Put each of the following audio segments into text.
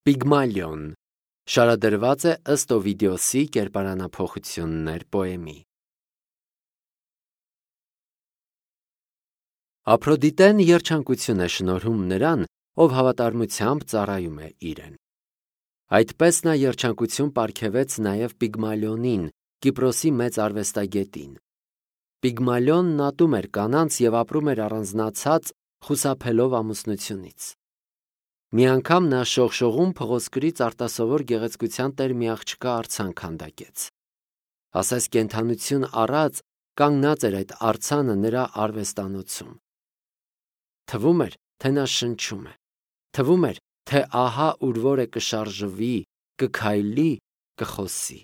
Պիգմալիոն շարադրված է ըստ Օվիդիոսի կերպարանափոխություններ պոեմի։ Ափրոդիտեն երջանկություն է շնորհում նրան, ով հավատարմությամբ ծառայում է իրեն։ Այդպես նա երջանկություն պարգևեց նաև Պիգմալիոնին, Կիպրոսի մեծ արվեստագետին։ Պիգմալիոնն ատում էր կանանց և ապրում էր առանձնացած, խուսափելով ամուսնությունից։ Մի անգամ նա շողշողում փղոսկրից արտասովոր գեղեցկության տեր մի աղջկա արձան քանդակեց։ Ասես կենդանություն առած կանգնած էր այդ արձանը նրա արվեստանոցում։ Թվում էր, թե նա շնչում է։ Թվում էր, թե ահա ուրվորե կշարժվի, կքայլի, կխոսի։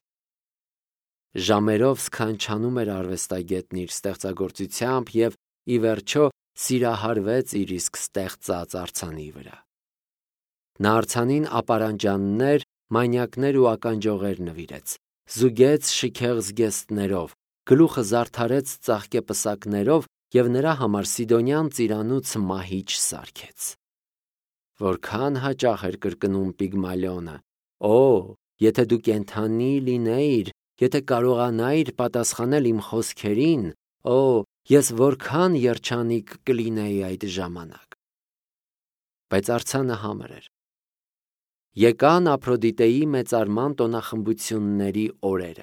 Ժամերով սքանչանում էր արվեստագետն իր ստեղծագործությամբ և, ի վերջո, սիրահարվեց իր իսկ ստեղծած արձանի վրա։ Նա արձանին ապարանջաններ, մանյակներ ու ականջողեր նվիրեց, զուգեց շքեղ զգեստներով, գլուխը զարդարեց ծաղկե պսակներով և նրա համար սիդոնյան ծիրանուց մահիճ սարքեց։ Որքան հաճախ էր կրկնում Պիգմալիոնը. «Օ, եթե դու կենդանի լինեիր, եթե կարողանայիր պատասխանել իմ խոսքերին, օ, ես որքան երջանիկ կլինեի այդ ժամանակ»։ Բայց արձանը համր էր։ Եկան Ափրոդիտեի մեծարման տոնախմբությունների օրերը։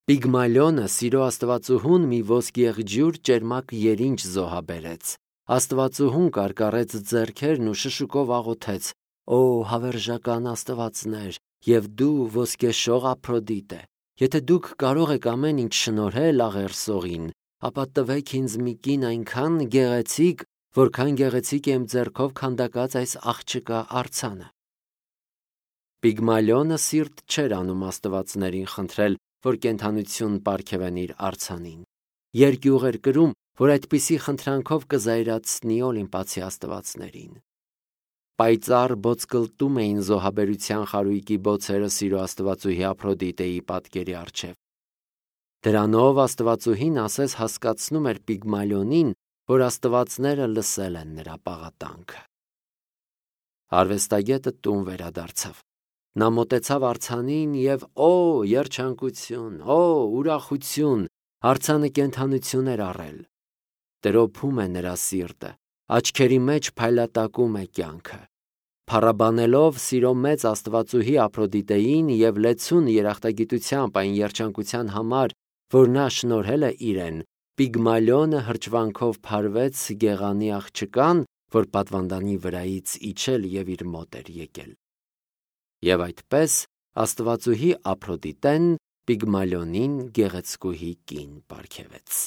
Պիգմալիոնը սիրո աստվածուհուն մի ոսկեղջյուր ճերմակ երինչ զոհաբերեց։ Աստվածուհուն կարկառեց ձեռքերն ու շշուկով աղոթեց. «Օ, հավերժական աստվածներ, և դու ոսկեշող Ափրոդիտե, եթե դուք կարող եք ամեն ինչ շնորհել աղերսողին, ապա տվեք ինձ մի կին այնքան գեղեցիկ, որքան գեղեցիկ է իմ ձեռքով քանդակած այս աղջկա արձանը»։ Պիգմալիոնը սիրտ չէր անում աստվածներին խնդրել, որ կենդանություն պարգևեն իր արձանին։ Երկյուղ էր կրում, որ այդպիսի խնդրանքով կզայրացնի Օլիմպացի աստվածներին։ Պայծառ բոցկլտում էին զոհաբերության խարույկի բոցերը սիրո աստվածուհի Ափրոդիտեի պատկերի առջև։ Դրանով աստվածուհին ասես հասկացնում էր Պիգմալիոնին, որ աստվածները լսել են նրա պաղատանքը։ Արվեստագետը տուն վերադարձավ։ Նա մոտեցավ արձանին և օ, երջանկություն, օ, ուրախություն, արձանը կենդանություն էր առել։ Տրոփում է նրա սիրտը, աչքերի մեջ փայլատակում է կյանքը։ Փառաբանելով սիրո մեծ աստվածուհի Ափրոդիտեին և լեցուն երախտագիտությամբ այն երջանկության համար, որ նա շնորհել է իրեն, Պիգմալիոնը հրճվանքով փարվեց գեղանի աղջկան, որ պատվանդանի վրայից իջել և իր մոտ էր եկել։ Եվ այդպես աստվածուհի Ափրոդիտեն Պիգմալիոնին գեղեցկուհի կին պարգևեց։